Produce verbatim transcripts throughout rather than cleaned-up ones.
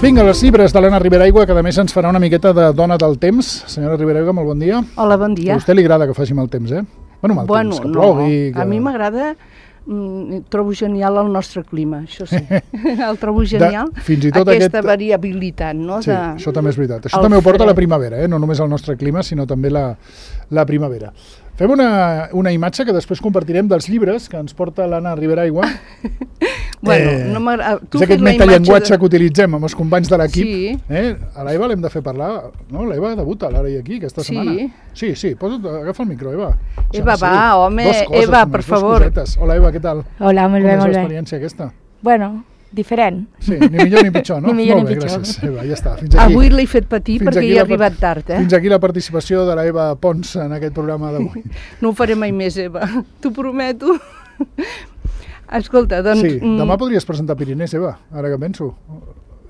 Vinga, els llibres de l'Anna Riberaigua, que a més ens farà una miqueta de dona del temps. Senyora Riberaigua, molt bon dia. Hola, bon dia. A vostè li agrada que faci mal temps, eh? Bueno, mal bueno, temps, que no. plogui... Que... A mi m'agrada, mm, trobo genial el nostre clima, això sí. El trobo genial, de, fins i tot aquesta aquest... variabilitat, no? Sí, de... això també és veritat. Això també ho porta la primavera, eh? No només el nostre clima, sinó també la, la primavera. Fem una, una imatge que després compartirem dels llibres que ens porta l'Anna Riberaigua. Bueno, eh, no m'agrada... És aquest metallenguatge de... que utilitzem amb els companys de l'equip. Sí. Eh? A l'Eva l'hem de fer parlar, no? L'Eva debuta l'ara i aquí, aquesta sí. setmana. Sí, sí, posa't, agafa el micro, Eva. Eva, va, home, coses, Eva, només, per favor. Cosetes. Hola, Eva, què tal? Hola, molt bé, molt bé. Com és l'experiència aquesta? Bueno, diferent. Sí, ni millor ni pitjor, no? Ni millor Molt ni bé, pitjor. gràcies, Eva, ja està. Fins aquí. Avui l'he fet patir Fins perquè hi he arribat tard, eh? Fins aquí la participació de la Eva Pons en aquest programa d'avui. No ho faré mai més, Eva, t'ho prometo. Escolta, doncs... Sí, demà podries presentar Pirinès, Eva, ara que penso.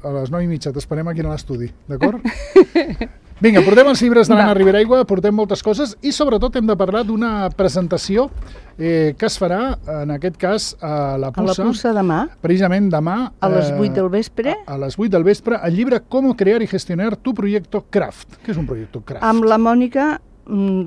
A les nou i mitja t'esperem aquí a l'estudi, d'acord? Vinga, portem els llibres de l'Anna Riberaigua, portem moltes coses i sobretot hem de parlar d'una presentació eh, que es farà, en aquest cas, a la Puça. A la Puça demà. Precisament demà. A les vuit del vespre. A, a les vuit del vespre, el llibre Cómo crear y gestionar tu proyecto Craft. Què és un proyecto Craft? Amb la Mònica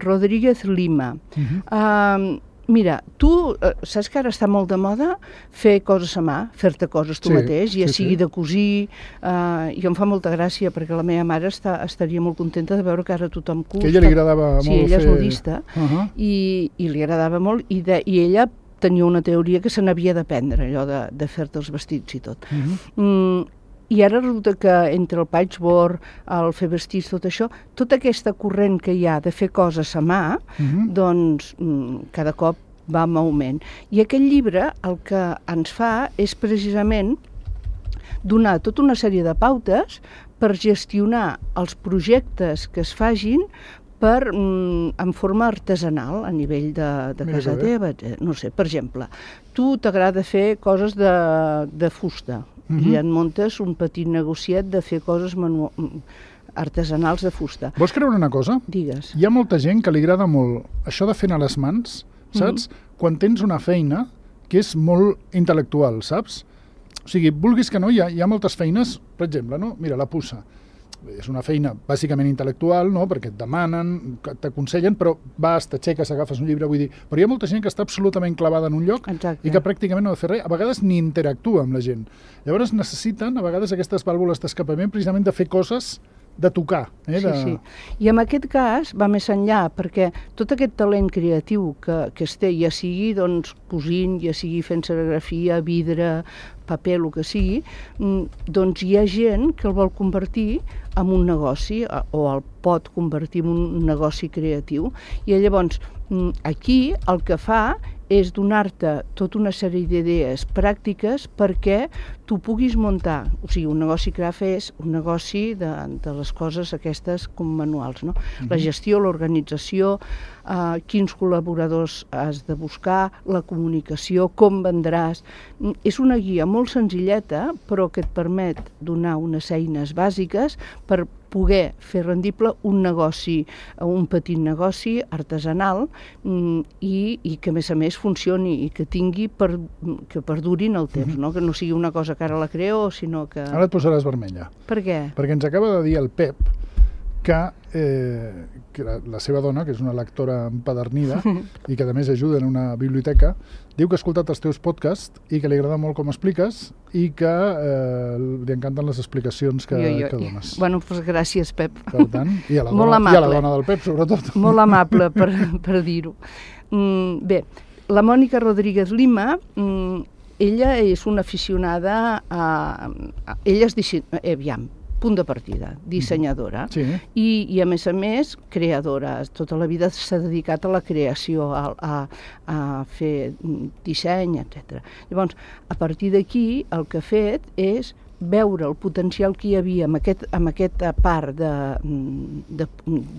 Rodríguez Lima. Uh-huh. uh, Mira, tu eh, saps que ara està molt de moda fer coses a mà, fer-te coses tu sí, mateix, ja sí, sigui sí. de cosir, eh, i em fa molta gràcia perquè la meva mare està, estaria molt contenta de veure que ara tothom cus. Que a ella li agradava sí, molt fer... Sí, ella és modista, uh-huh. i, i li agradava molt, i, de, i ella tenia una teoria que se n'havia d'aprendre, allò de, de fer-te els vestits i tot. Uh-huh. mm, I ara resulta que entre el patchwork, el fer vestits, tot això, tota aquesta corrent que hi ha de fer coses a mà, uh-huh. doncs cada cop va en augment. I aquest llibre el que ens fa és precisament donar tota una sèrie de pautes per gestionar els projectes que es fagin per, mm, en forma artesanal, a nivell de, de casa teva. No sé, per exemple, tu t'agrada fer coses de, de fusta, uh-huh. i en muntes un petit negociet de fer coses manu... artesanals de fusta. Vols creure una cosa? Digues. Hi ha molta gent que li agrada molt això de fer a les mans, saps? Mm-hmm. Quan tens una feina que és molt intel·lectual, saps? O sigui, vulguis que no, hi ha, hi ha moltes feines, per exemple, no? Mira, la Puça. És una feina bàsicament intel·lectual, no? Perquè et demanen, t'aconsellen, però vas, t'aixeques, agafes un llibre, vull dir... Però hi ha molta gent que està absolutament clavada en un lloc. Exacte. I que pràcticament no ha de fer res, a vegades ni interactua amb la gent. Llavors necessiten, a vegades, aquestes vàlvules d'escapament precisament de fer coses de tocar. Eh? De... Sí, sí. I en aquest cas va més enllà, perquè tot aquest talent creatiu que, que es té, ja sigui doncs, cosint, ja sigui fent serigrafia, vidre, paper, el que sigui, doncs hi ha gent que el vol convertir en un negoci o el pot convertir en un negoci creatiu. I llavors aquí el que fa és donar-te tota una sèrie d'idees pràctiques perquè tu puguis muntar, o sigui, un negoci craft és un negoci de, de les coses aquestes com manuals, no? Mm-hmm. La gestió, l'organització, eh, quins col·laboradors has de buscar, la comunicació, com vendràs. És una guia molt senzilleta, però que et permet donar unes eines bàsiques per poder fer rendible un negoci, un petit negoci artesanal i, i que a més a més funcioni i que tingui per, que perduri en el temps, no? Que no sigui una cosa que ara la creo, sinó que... Ara et posaràs vermella. Per què? Perquè ens acaba de dir el Pep que, eh, que la, la seva dona, que és una lectora empedernida i que a més ajuda en una biblioteca, diu que ha escoltat els teus podcasts i que li agrada molt com expliques i que eh, li encanten les explicacions que, jo, jo. que dones. Bueno, doncs gràcies, Pep. Per tant, i a la, molt dona, amable. I a la dona del Pep, sobretot. Molt amable, per, per dir-ho. Mm, bé, la Mònica Rodríguez Lima, mm, ella és una aficionada a... a ella és disseny... Eh, aviam, punt de partida, dissenyadora, sí. I, i a més a més creadora. Tota la vida s'ha dedicat a la creació, a, a, a fer disseny, etcètera. Llavors, a partir d'aquí, el que ha fet és veure el potencial que hi havia amb, aquest, amb aquesta part de, de,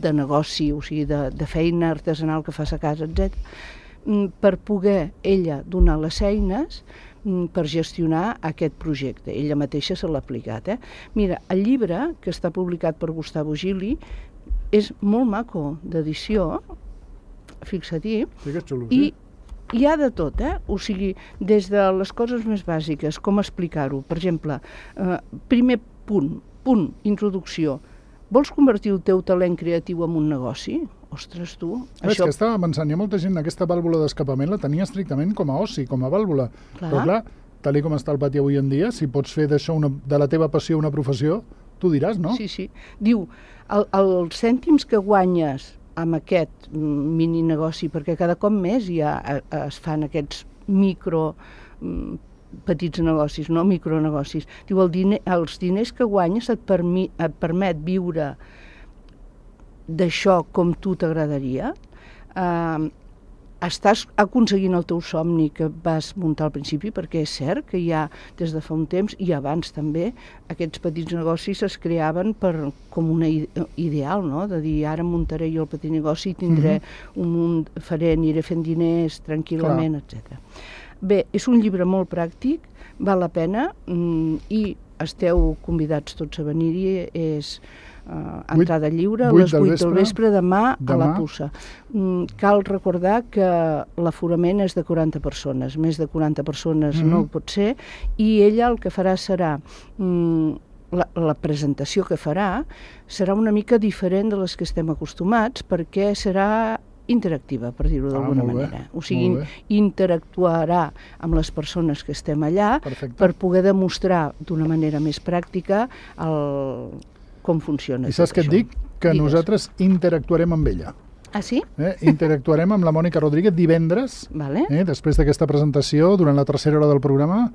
de negoci, o sigui, de, de feina artesanal que fas a casa, etcètera, per poder ella donar les eines per gestionar aquest projecte. Ella mateixa se l'ha aplicat. Eh? Mira, el llibre, que està publicat per Gustavo Gili, és molt maco d'edició, fixa-t'hi, sí, que és xulo, sí. i hi ha de tot, eh? O sigui, des de les coses més bàsiques, com explicar-ho. Per exemple, eh, primer punt, punt, introducció. Vols convertir el teu talent creatiu en un negoci? Ostres, tu... Això... És que estava pensant, hi ha molta gent, aquesta vàlvula d'escapament la tenia estrictament com a oci, com a vàlvula. Clar. Però clar, tal com està el pati avui en dia, si pots fer d'això una, de la teva passió una professió, tu diràs, no? Sí, sí. Diu, el, els cèntims que guanyes amb aquest mini negoci, perquè cada cop més ja es fan aquests micro petits negocis, no micronegocis. Diu, el diner, els diners que guanyes et, permi, et permet viure d'això com tu t'agradaria, eh, estàs aconseguint el teu somni que vas muntar al principi, perquè és cert que ja des de fa un temps, i abans també, aquests petits negocis es creaven per, com un ideal, no? De dir, ara muntaré jo el petit negoci, tindré mm-hmm. un munt, faré, aniré fent diners tranquil·lament, etcètera. Bé, és un llibre molt pràctic, val la pena, i esteu convidats tots a venir-hi, és... Uh, entrada lliure a les vuit del vespre demà, demà a la Puça. Mm, cal recordar que l'aforament és de quaranta persones, més de quaranta persones mm-hmm. no pot ser, i ella el que farà serà mm, la, la presentació que farà serà una mica diferent de les que estem acostumats, perquè serà interactiva, per dir-ho d'alguna ah, manera. O sigui, interactuarà amb les persones que estem allà. Perfecte. Per poder demostrar d'una manera més pràctica el com funciona. I saps què et dic? Que Digues. Nosaltres interactuarem amb ella. Ah, sí? Eh? Interactuarem amb la Mònica Rodríguez divendres, vale. eh? Després d'aquesta presentació, durant la tercera hora del programa,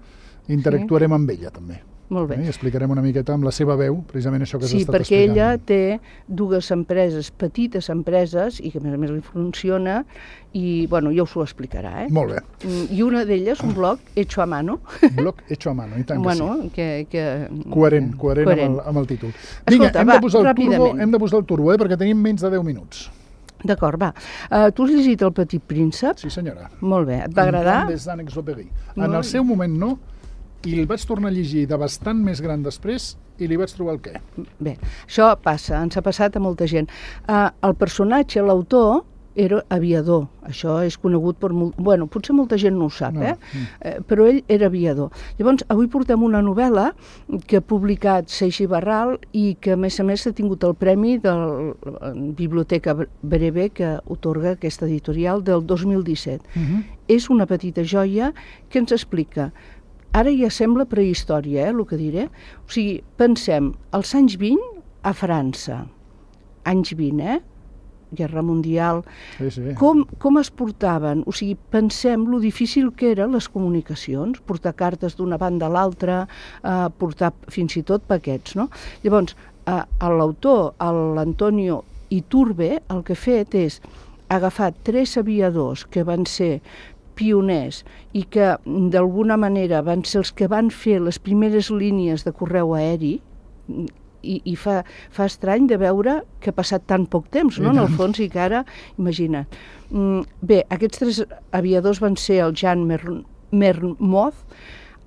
interactuarem sí. amb ella, també. Molt bé. Eh? I explicarem una miqueta amb la seva veu, precisament això que sí, s'ha estat explicant. Sí, perquè ella té dues empreses, petites empreses, i que a més a més li funciona, i, bueno, ja us ho explicarà, eh? Molt bé. I una d'elles, un blog hecho a mano. Blog hecho a mano, i tant que bueno, sí. Que, que... Coherent, coherent, coherent. Amb, el, amb el títol. Escolta, Vinga, hem, va, de posar el ràpidament. turbo, hem de posar el turbo, eh? Perquè tenim menys de deu minuts. D'acord, va. Uh, tu has llegit El Petit Príncep? Sí, senyora. Molt bé. Et va agradar? En el seu moment no, i el vaig tornar a llegir de bastant més gran després i li vaig trobar el què. Bé, això passa, ens ha passat a molta gent. Uh, el personatge, l'autor, era aviador. Això és conegut per... Molt... Bueno, potser molta gent no ho sap, no. eh? Mm. eh? Però ell era aviador. Llavors, avui portem una novel·la que ha publicat Seix i Barral i que, a més a més, ha tingut el premi de la Biblioteca Breve que otorga aquesta editorial del dos mil disset. Mm-hmm. És una petita joia que ens explica... Ara ja sembla prehistòria, eh, el que diré. O sigui, pensem, als anys vint, a França, anys vint, eh? Guerra Mundial, sí, sí. Com, com es portaven? O sigui, pensem lo difícil que eren les comunicacions, portar cartes d'una banda a l'altra, eh, portar fins i tot paquets, no? Llavors, eh, l'autor, l'Antonio Iturbe, el que ha fet és agafar tres aviadors que van ser pioners i que d'alguna manera van ser els que van fer les primeres línies de correu aeri i, i fa, fa estrany de veure que ha passat tan poc temps, no? En el fons, i que ara, imagina't. Bé, aquests tres aviadors van ser el Jean Mermoz,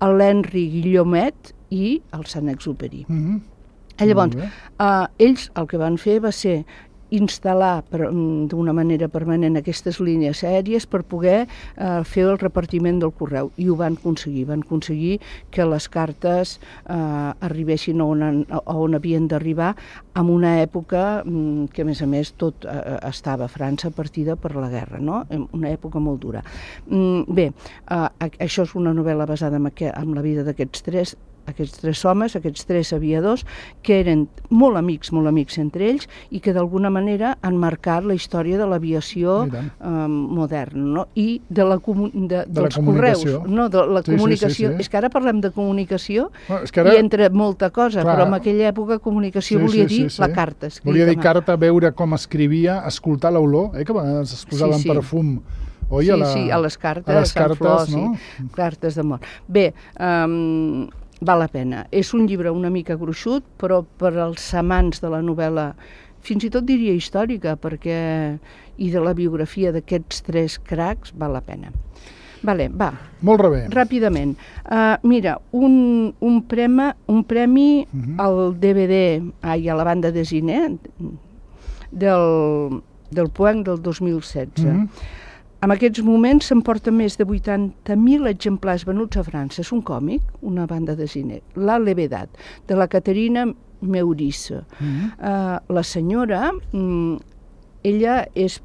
l'Henri Guillemet i el Saint-Exupéry. Mm-hmm. Llavors, eh, ells el que van fer va ser instal·lar d'una manera permanent aquestes línies aèries per poder eh, fer el repartiment del correu, i ho van aconseguir. Van aconseguir que les cartes eh, arribessin on, on havien d'arribar en una època mm, que, a més a més, tot eh, estava a França partida per la guerra, no? Una època molt dura. Mm, bé, eh, això és una novel·la basada en, aquest, en la vida d'aquests tres aquests tres homes, aquests tres aviadors, que eren molt amics, molt amics entre ells, i que d'alguna manera han marcat la història de l'aviació eh, moderna, no? I de la comu de, de dels la correus, no? De la sí, comunicació. Sí, sí, sí. És que ara parlem de comunicació, bueno, és que ara... i entre molta cosa, clar, però en aquella època comunicació sí, volia sí, dir sí, sí. la carta. Volia dir carta, veure com escrivia, escoltar l'olor, eh, que es posaven sí, sí. perfum. Oi, sí, a la... sí, a les cartes, a les cartes, flors, no? Sí, cartes d'amor. Bé, um, val la pena. És un llibre una mica gruixut, però per als amants de la novel·la, fins i tot diria històrica, perquè i de la biografia d'aquests tres cracs, val la pena. Vale, va. Molt bé. Ràpidament. Uh, mira, un, un, prema, un premi uh-huh. al D V D, ai, a la banda de cine, del, del Poeng del dos mil setze. Uh-huh. en aquests moments s'emporta més de vuitanta mil exemplars venuts a França. És un còmic, una banda de cine, La Levedad, de la Caterina Meurice. Mm-hmm. uh, la senyora, mm, ella és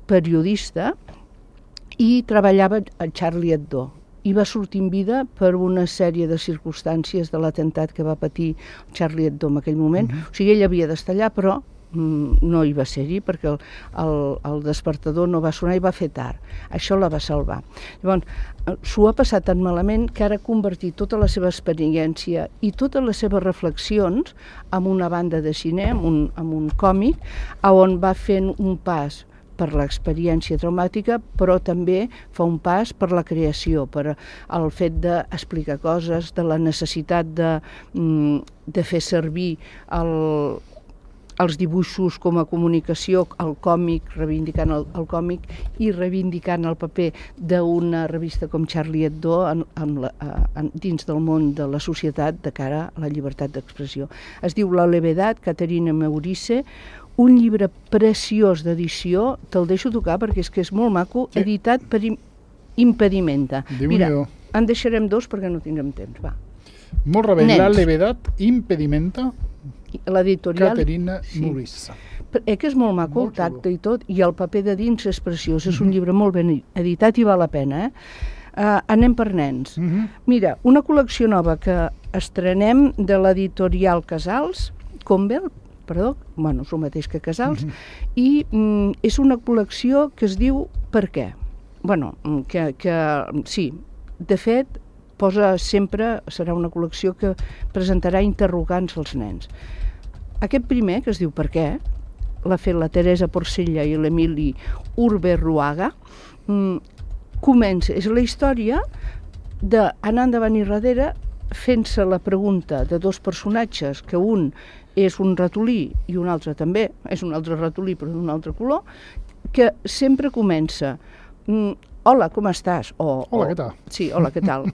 periodista i treballava a Charlie Hebdo i va sortir en vida per una sèrie de circumstàncies de l'atemptat que va patir Charlie Hebdo en aquell moment. Mm-hmm. O sigui, ella havia d'estar allà, però mm, no hi va ser-hi perquè el, el, el despertador no va sonar i va fer tard. Això la va salvar. Llavors, s'ho ha passat tan malament que ara ha convertit tota la seva experiència i totes les seves reflexions en una banda de cine, en un, en un còmic, on va fent un pas per l'experiència traumàtica, però també fa un pas per la creació, per el fet d'explicar coses, de la necessitat de, de fer servir el, els dibuixos com a comunicació, el còmic, reivindicant el, el còmic i reivindicant el paper d'una revista com Charlie Hebdo en, en la, en, dins del món de la societat de cara a la llibertat d'expressió. Es diu La Levedad, Caterina Meurice, un llibre preciós d'edició, te'l deixo tocar perquè és que és molt maco, sí. Editat per Impedimenta. Mira, en deixarem dos perquè no tindrem temps, va. Molt rebé, La Levedad, Impedimenta, l'editorial Caterina sí. Meurice. Eh, que és molt maco, molt el tacte xulo. I tot, i el paper de dins és preciós, és un llibre molt ben editat i val la pena, eh? Uh, anem per nens. Uh -huh. Mira, una col·lecció nova que estrenem de l'editorial Casals, Convel, perdó, bueno, és el mateix que Casals, uh-huh. i mm, és una col·lecció que es diu Per què? Bueno, que, que sí, de fet, posa sempre, serà una col·lecció que presentarà interrogants als nens. Aquest primer, que es diu Per què?, l'ha fet la Teresa Porcella i l'Emili Urberruaga, mm, comença, és la història d'anar endavant i darrere fent-se la pregunta de dos personatges, que un és un ratolí i un altre també, és un altre ratolí però d'un altre color, que sempre comença mm, hola, com estàs? O, hola, o, què tal? Sí, hola, què tal?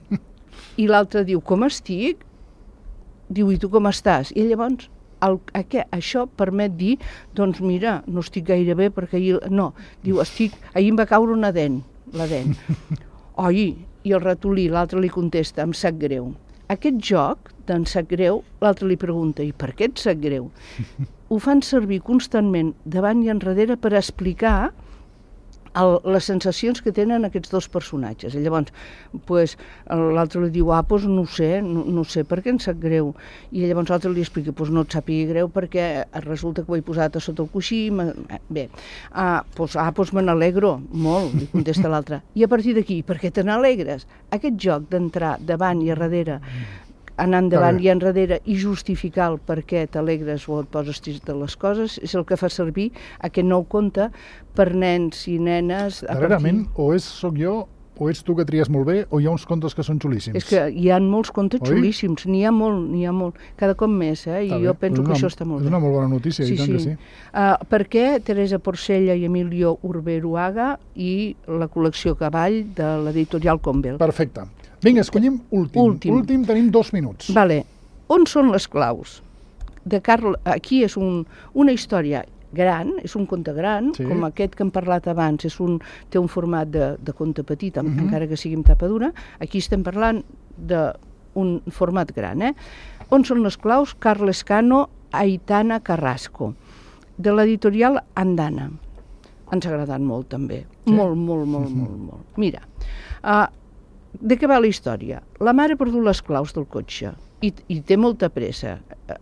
I l'altre diu, com estic? Diu, i tu com estàs? I llavors el, aquest, això permet dir, doncs mira, no estic gaire bé perquè ahir... No, diu, estic, ahir em va caure una dent, la dent. Oi, i el ratolí, l'altre li contesta, em sap greu. Aquest joc d'en sap greu, l'altre li pregunta, i per què et sap greu? Ho fan servir constantment davant i enrere per explicar el, les sensacions que tenen aquests dos personatges. I llavors, pues, l'altre li diu, ah, doncs no ho sé, no, no sé per què em sap greu. I llavors l'altre li explica, doncs no et sàpiga greu perquè resulta que ho he posat a sota el coixí. Bé, ah, doncs, ah, doncs me n'alegro molt, li contesta l'altre. I a partir d'aquí, per què te n'alegres? Aquest joc d'entrar davant i a darrere, anar endavant i enrere i justificar el per què t'alegres o et poses trist de les coses, és el que fa servir aquest nou conte per nens i nenes. Darrerament, partir... o és soc jo, o ets tu que tries molt bé, o hi ha uns contes que són xulíssims. És que hi ha molts contes Oi? xulíssims, n'hi ha molt, n'hi ha molt, cada cop més, eh? I jo penso una, que això està molt és bé. És una molt bona notícia, sí, i tant sí. que sí. Uh, per què Teresa Porcella i Emilio Urberuaga i la col·lecció Cavall de l'editorial Convel. Perfecte. Vinga, escollim últim. Últim. Últim tenim dos minuts. Vale. On són les claus? De Carl... Aquí és un, una història gran, és un conte gran, sí. com aquest que hem parlat abans, és un, té un format de, de conte petit, uh -huh. encara que sigui amb tapa dura. Aquí estem parlant d'un format gran. Eh? On són les claus? Carles Cano, Aitana Carrasco, de l'editorial Andana. Ens ha agradat molt, també. Sí. Molt, molt, molt, uh -huh. molt, molt. Mira, uh, de què va la història? La mare ha perdut les claus del cotxe i, i té molta pressa.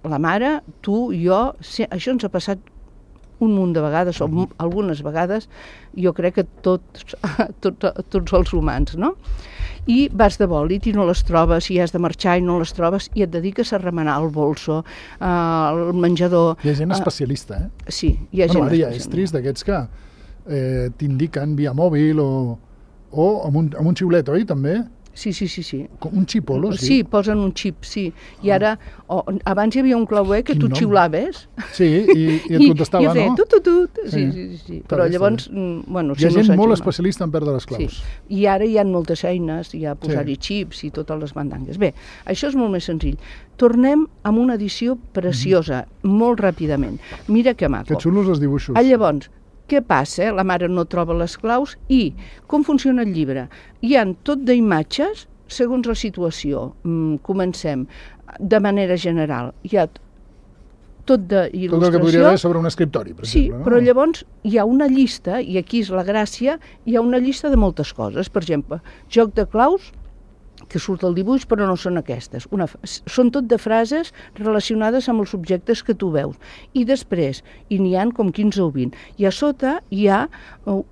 La mare, tu, jo, se, això ens ha passat un munt de vegades, o mm. algunes vegades, jo crec que tots, tots, tots els humans, no? I vas de bòlit i no les trobes, i has de marxar i no les trobes, i et dediques a remenar el bolso, eh, el menjador... Hi ha gent especialista, eh? Sí, hi ha bueno, gent especialista. És trist d'aquests que eh, t'indiquen via mòbil o, o amb, un, amb un xiulet, oi, també? Sí, sí, sí, sí. Com un xipolo, sí? Sí, posen un xip, sí. I ara, oh, abans hi havia un clauer que tu xiulaves. Sí, i, i et contestava, I, i feia, no? Tu, tu, tu. Sí, sí, sí. sí. Però llavors, bueno... Hi ha gent molt especialista en perdre les claus. Sí. I ara hi ha moltes eines, hi ha posar-hi xips i totes les mandangues. Bé, això és molt més senzill. Tornem amb una edició preciosa, mm-hmm. molt ràpidament. Mira que maco. Que xulos els dibuixos. Ah, llavors, què passa? La mare no troba les claus i com funciona el llibre? Hi ha tot d'imatges segons la situació. Mm, comencem de manera general. Hi ha tot d'il·lustració. Tot el que podria haver sobre un escriptori, per sí, exemple. No? però llavors hi ha una llista, i aquí és la gràcia, hi ha una llista de moltes coses. Per exemple, joc de claus, que surt el dibuix, però no són aquestes. Una, són tot de frases relacionades amb els objectes que tu veus. I després, i n'hi ha com quinze o vint, i a sota hi ha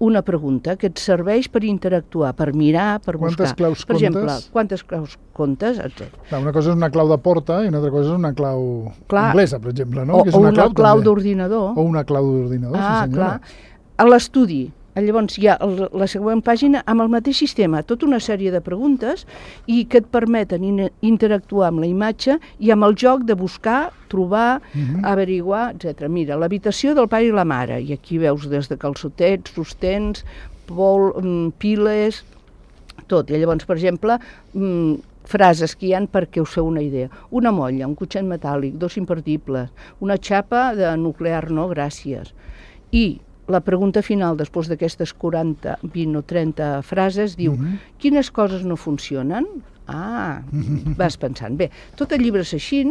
una pregunta que et serveix per interactuar, per mirar, per buscar. Quantes claus per comptes? exemple, quantes claus comptes, etcètera. Una cosa és una clau de porta i una altra cosa és una clau clar, anglesa, per exemple, no? O, que és o una, una clau, clau d'ordinador. O una clau d'ordinador, ah, sí senyora. Clar. A l'estudi, llavors hi ha el, la següent pàgina amb el mateix sistema, tota una sèrie de preguntes i que et permeten in, interactuar amb la imatge i amb el joc de buscar, trobar, uh-huh. averiguar, etcètera. Mira, l'habitació del pare i la mare, i aquí veus des de calçotets, sostens, pol, piles, tot. I llavors, per exemple, frases que hi ha perquè us feu una idea. Una molla, un cotxet metàl·lic, dos imperdibles, una xapa de nuclear, no, gràcies. I la pregunta final, després d'aquestes quaranta, vint o trenta frases, diu, uh-huh. quines coses no funcionen? Ah, vas pensant. Bé, tot el llibre és així,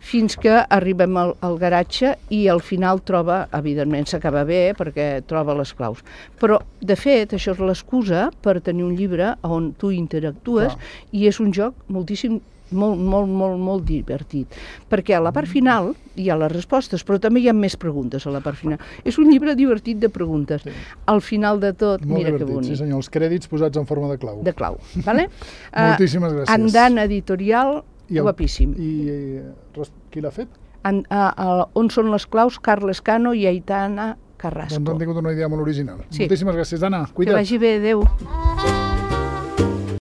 fins que arribem al, al garatge i al final troba, evidentment s'acaba bé, perquè troba les claus. Però, de fet, això és l'excusa per tenir un llibre on tu interactues Clar. I és un joc moltíssim molt, molt, molt, molt divertit. Perquè a la part final hi ha les respostes, però també hi ha més preguntes a la part final. És un llibre divertit de preguntes. Sí. Al final de tot, molt mira divertit, que bonic. Sí senyor, els crèdits posats en forma de clau. De clau, vale? Moltíssimes gràcies. Andant editorial, I el, guapíssim. I, i qui l'ha fet? En, a, a, on són les claus? Carles Cano i Aitana Carrasco. Doncs han tingut una idea molt original. Sí. Moltíssimes gràcies, Anna. Cuida't. Que vagi bé, adeu.